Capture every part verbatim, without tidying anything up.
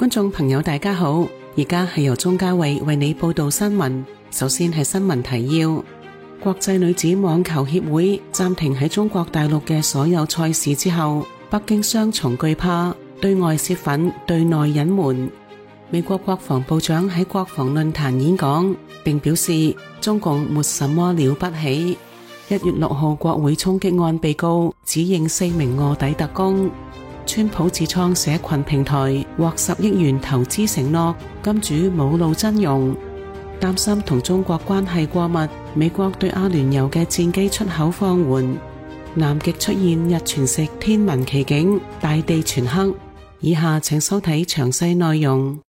觀眾朋友大家好，而家係由鍾嘉慧為你報道新聞。首先係新聞提要：國際女子網球協會暫停喺中國大陸嘅所有賽事之後，北京雙重懼怕，對外洩憤，對內隱瞞。美國國防部長喺國防論壇演講，並表示中共沒什麼了不起。一月六號國會衝擊案被告指認四名臥底特工。川普自創社群平台獲十億元投資承諾，金主冇露真容。擔心同中國關係過密，美國對阿聯酋嘅戰機出口放緩。南極出現日全食天文奇景，大地全黑。以下請收睇詳細內容。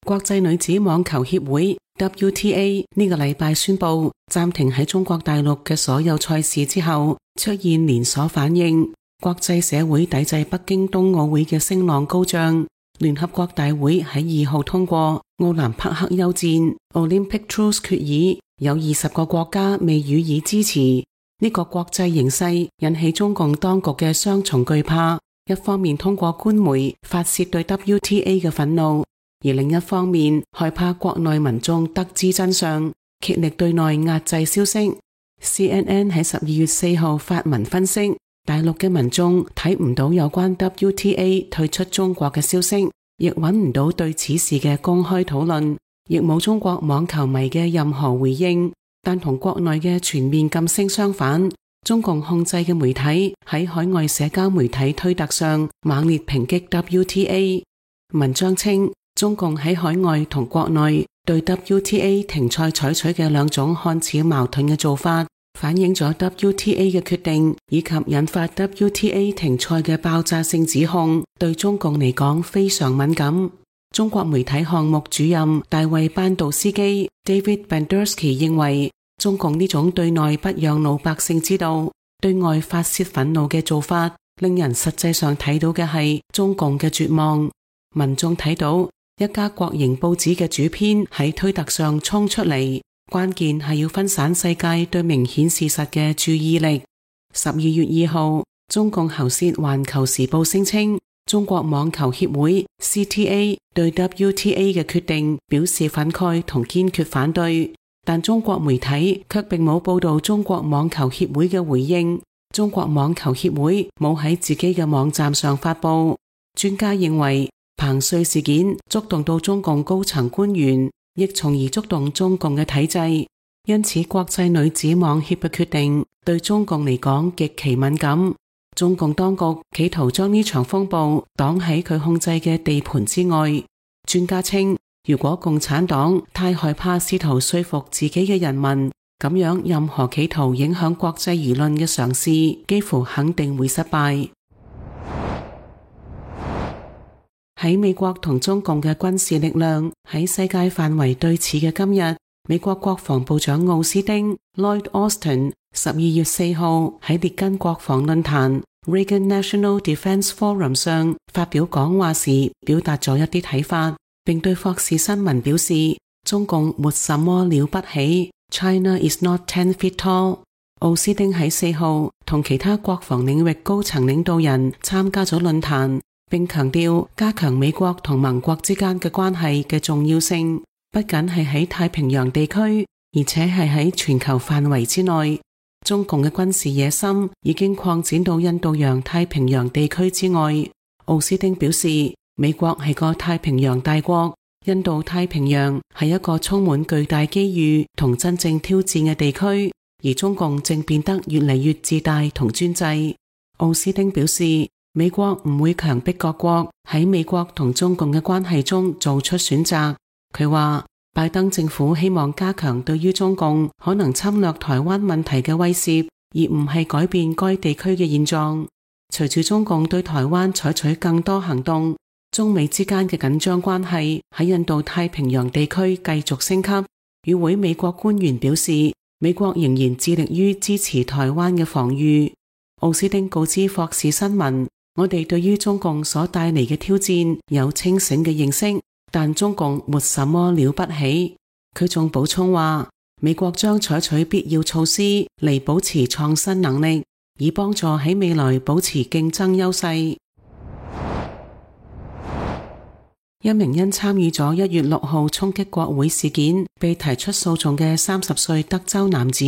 國際女子網球協會 W T A 呢個禮拜宣布暫停喺中國大陸嘅所有賽事之後，出現連鎖反應。國際社會抵制北京冬奧會嘅聲浪高漲，聯合國大會喺二號通過奧林匹克休戰 Olympic Truce 決議，有二十個國家未予以支持。呢、這個國際形勢引起中共當局嘅雙重懼怕，一方面通過官媒發洩對 W T A 嘅憤怒，而另一方面害怕國內民眾得知真相，竭力對內壓制消息。C N N 喺十二月四號發文分析，大陸嘅民眾睇唔到有關 W T A 退出中國嘅消息，亦揾唔到對此事嘅公開討論，亦冇中國網球迷嘅任何回應。但同國內嘅全面禁聲相反，中共控制嘅媒體喺海外社交媒體推特上猛烈抨擊 W T A。文章稱，中共喺海外同國內對 W T A 停賽採取嘅兩種看似矛盾嘅做法，反映咗 W T A 嘅決定以及引發 W T A 停賽嘅爆炸性指控，對中共嚟講非常敏感。中國媒體項目主任大衛班道斯基 David Bandersky 認為，中共呢種對內不讓老百姓知道，對外發洩憤怒嘅做法，令人實際上睇到嘅係中共嘅絕望。民眾睇到一家國營報紙嘅主編喺推特上衝出嚟，關鍵係要分散世界對明顯事實嘅注意力。十二月二號，中共喉舌環球時報聲稱，中國網球協會 C T A 對 W T A 嘅決定表示憤慨同堅決反對，但中國媒體卻並冇報道中國網球協會嘅回應。中國網球協會冇喺自己嘅網站上發布。專家認為，彭帥事件觸動到中共高層官員，亦從而觸動中共嘅體制，因此國際女子網協嘅決定對中共嚟講極其敏感。中共當局企圖將呢場風暴擋喺佢控制嘅地盤之外。專家稱，如果共產黨太害怕試圖說服自己嘅人民，咁樣任何企圖影響國際輿論嘅嘗試幾乎肯定會失敗。喺美國同中共嘅軍事力量喺世界範圍對峙嘅今日，美國國防部長奧斯汀 Lloyd Austin 十二月四號喺列根國防論壇 Reagan National Defense Forum 上發表講話時，表達咗一啲睇法，並對霍士新聞表示，中共沒什麼了不起 ，China is not ten feet tall。奧斯汀喺四號同其他國防領域高層領導人參加咗論壇，並強調加強美國同盟國之間嘅關係嘅重要性，不僅係喺太平洋地區，而且係喺全球範圍之內。中共嘅軍事野心已經擴展到印度洋太平洋地區之外。奧斯汀表示，美國係個太平洋大國，印度太平洋係一個充滿巨大機遇同真正挑戰嘅地區，而中共正變得越嚟越自大同專制。奧斯汀表示，美國唔會強迫各國喺美國同中共嘅關係中做出選擇。佢話，拜登政府希望加強對於中共可能侵略台灣問題嘅威懾，而唔係改變該地區嘅現狀。隨住中共對台灣採取更多行動，中美之間嘅緊張關係喺印度太平洋地區繼續升級。與會美國官員表示，美國仍然致力於支持台灣嘅防禦。奧斯汀告知霍士新聞，我哋對於中共所帶嚟嘅挑戰有清醒嘅認識，但中共沒什麼了不起。佢仲補充話，美國將採取必要措施嚟保持創新能力，以幫助喺未來保持競爭優勢。一名因參與咗一月六號衝擊國會事件被提出訴訟嘅三十歲德州男子，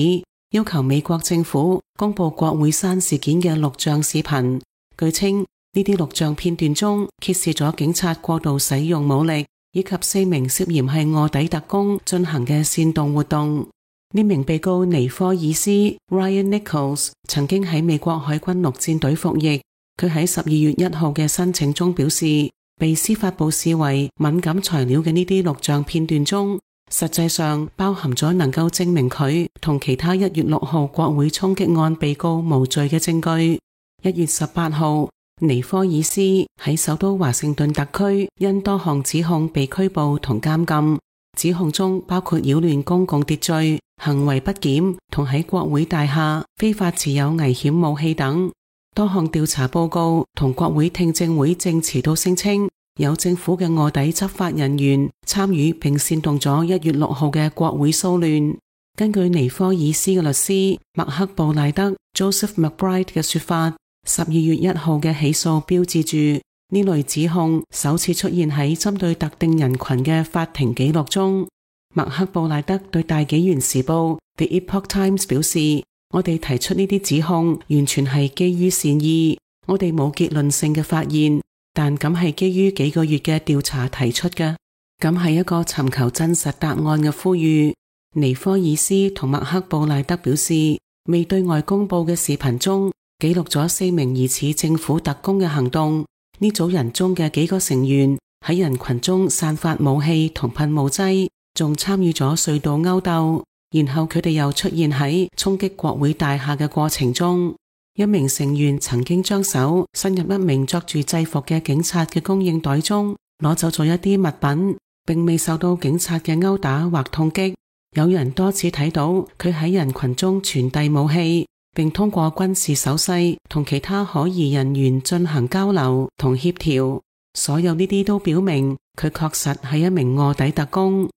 要求美國政府公布國會山事件嘅錄像視頻。據稱，呢啲錄像片段中揭示咗警察過度使用武力，以及四名涉嫌係臥底特工進行嘅煽動活動。呢名被告尼科爾斯 Ryan Nichols 曾經喺美國海軍陸戰隊服役。佢喺十二月一號嘅申請中表示，被司法部視為敏感材料嘅呢啲錄像片段中，實際上包含咗能夠證明佢同其他一月六號國會衝擊案被告無罪嘅證據。一月十八號，尼科爾斯喺首都華盛頓特區因多項指控被拘捕同監禁，指控中包括擾亂公共秩序、行為不檢同喺國會大廈非法持有危險武器等。多項調查報告同國會聽證會證詞都聲稱，有政府嘅臥底執法人員參與並煽動咗一月六號嘅國會騷亂。根據尼科爾斯嘅律師麥克布賴德 Joseph McBride 嘅說法，十二月一號嘅起訴標誌住呢類指控首次出現喺針對特定人群嘅法庭記錄中。麥克布賴德對大紀元時報 The Epoch Times 表示，我哋提出呢啲指控完全係基於善意，我哋冇結論性嘅發現，但咁係基於幾個月嘅調查提出嘅，咁係一個尋求真實答案嘅呼籲。尼科爾斯同麥克布賴德表示，未對外公佈嘅視頻中記錄咗四名疑似政府特工嘅行動，呢組人中嘅幾個成員喺人群中散發武器同噴霧劑，仲參與咗隧道勾鬥。然後佢哋又出現喺衝擊國會大廈嘅過程中，一名成員曾經將手伸入一名着住制服嘅警察嘅供應袋中，攞走咗一啲物品，並未受到警察嘅毆打或痛擊。有人多次睇到佢喺人群中傳遞武器，並通過軍事手勢同其他可疑人員進行交流同協調。所有呢啲都表明佢確實係一名臥底特工。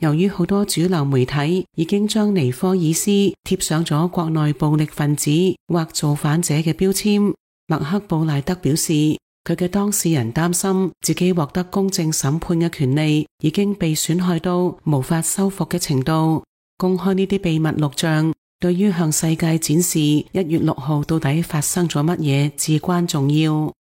由於好多主流媒體已經將尼科爾斯貼上咗國內暴力分子或造反者嘅標籤，麥克布賴德表示，佢嘅當事人擔心自己獲得公正審判嘅權利已經被損害到無法修復嘅程度。公開呢啲秘密錄像，對於向世界展示一月六號到底發生咗乜嘢至關重要。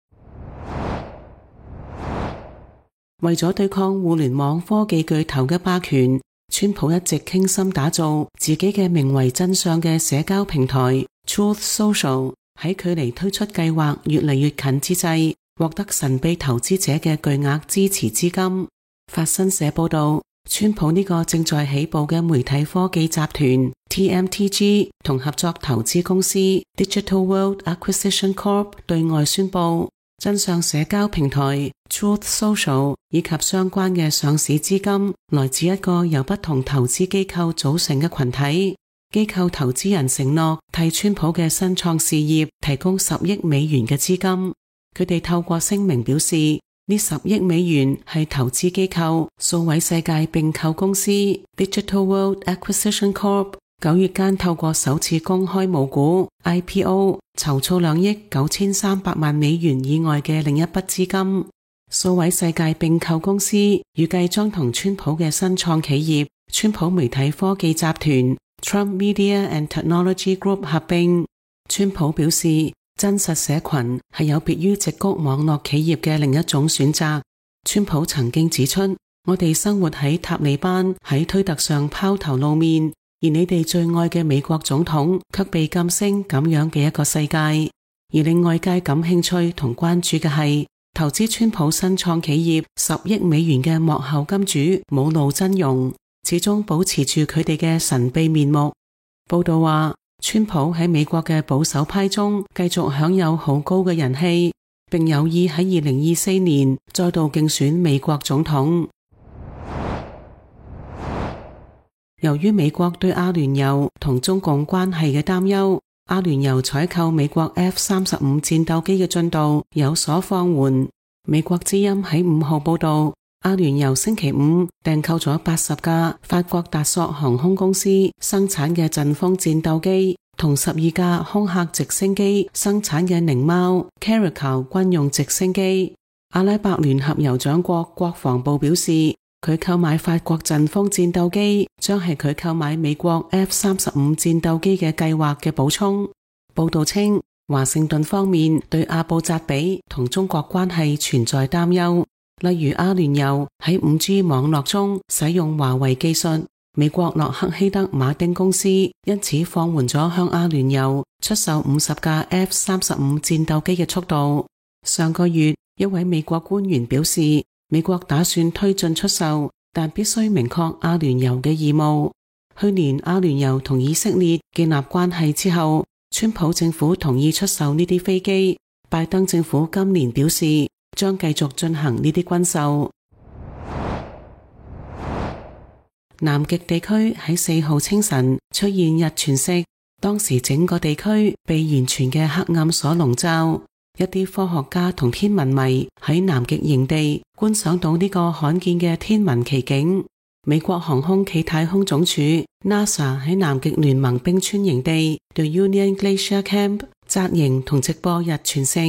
為咗對抗互聯網科技巨頭嘅霸權，川普一直傾心打造自己嘅名為真相嘅社交平台 Truth Social， 喺距離推出計劃越嚟越近之際，獲得神秘投資者嘅巨額支持資金。法新社報道，川普呢個正在起步嘅媒體科技集團 T M T G 同合作投資公司 Digital World Acquisition Corp 對外宣布，真相社交平台 Truth Social 以及相關嘅上市資金來自一個由不同投資機構組成嘅群體。機構投資人承諾替川普嘅新創事業提供十億美元嘅資金。佢哋透過聲明表示，呢十億美元係投資機構數位世界併購公司 Digital World Acquisition Corp 九月間透過首次公開募股 I P O 籌措兩億九千三百萬美元以外嘅另一筆資金。數位世界併購公司預計將同川普嘅新創企業川普媒體科技集團 Trump Media and Technology Group 合併。川普表示，真實社群係有別於矽谷網絡企業嘅另一種選擇。川普曾經指出，我哋生活喺塔利班喺推特上拋頭露面，而你哋最愛嘅美國總統卻被禁聲咁樣嘅一個世界。而令外界感興趣同關注嘅係，投資川普新創企業十億美元嘅幕後金主冇露真容，始終保持住佢哋嘅神秘面目。報道話，川普喺美國嘅保守派中繼續享有好高嘅人氣，並有意喺二零二四年再度競選美國總統。由於美國對阿聯酋同中共關係嘅擔憂，阿聯酋採購美國 F 三十五 戰鬥機嘅進度有所放緩。美國之音喺五號報道，阿聯酋星期五訂購咗八十架法國達索航空公司生產嘅陣風戰鬥機，同十二架空客直升機生產嘅獰貓 Caracal 軍用直升機。阿拉伯聯合酋長國國防部表示，佢購買法國陣風戰鬥機將係佢購買美國 F 三十五戰鬥機嘅計劃嘅補充。報道稱，華盛頓方面對阿布扎比同中國關係存在擔憂，例如阿聯酋喺 五 G 網絡中使用華為技術，美國洛克希德馬丁公司因此放緩咗向阿聯酋出售五十架 F 三十五戰鬥機嘅速度。上個月，一位美國官員表示，美國打算推進出售，但必須明確阿聯酋嘅義務。去年阿聯酋同以色列建立關係之後，川普政府同意出售呢啲飛機，拜登政府今年表示將繼續進行呢啲軍售。南極地區喺四號清晨出現日全食，當時整個地區被完全嘅黑暗所籠罩。一啲科學家同天文迷喺南極營地觀賞到呢個罕見嘅天文奇景。美國航空暨太空總署 NASA 喺南極聯盟冰川營地 The Union Glacier Camp 紮營同直播日全食。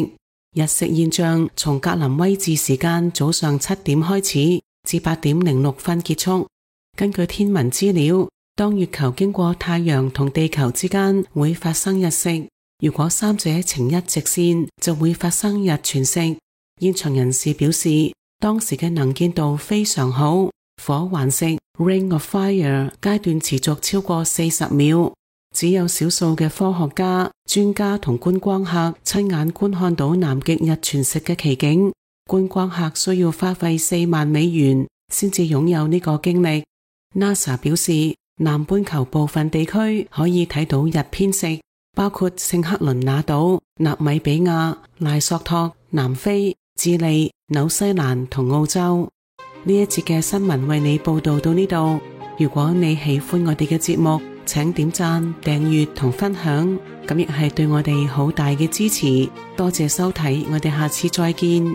日食現象從格林威治時間早上七點開始，至八點零六分結束。根據天文資料，當月球經過太陽同地球之間會發生日食。如果三者呈一直線，就會發生日全食。現場人士表示，當時嘅能見度非常好，火環食 Ring of Fire 階段持續超過四十秒。只有少數嘅科學家、專家同觀光客親眼觀看到南極日全食嘅奇景。觀光客需要花費四萬美元先至擁有呢個經歷。NASA 表示，南半球部分地區可以睇到日偏食，包括聖克倫那島、納米比亞、賴索托、南非、智利、紐西蘭同澳洲。呢一節嘅新聞為你報道到呢度。如果你喜歡我哋嘅節目，請點讚、訂閱同分享，咁亦係對我哋好大嘅支持。多謝收睇，我哋下次再見。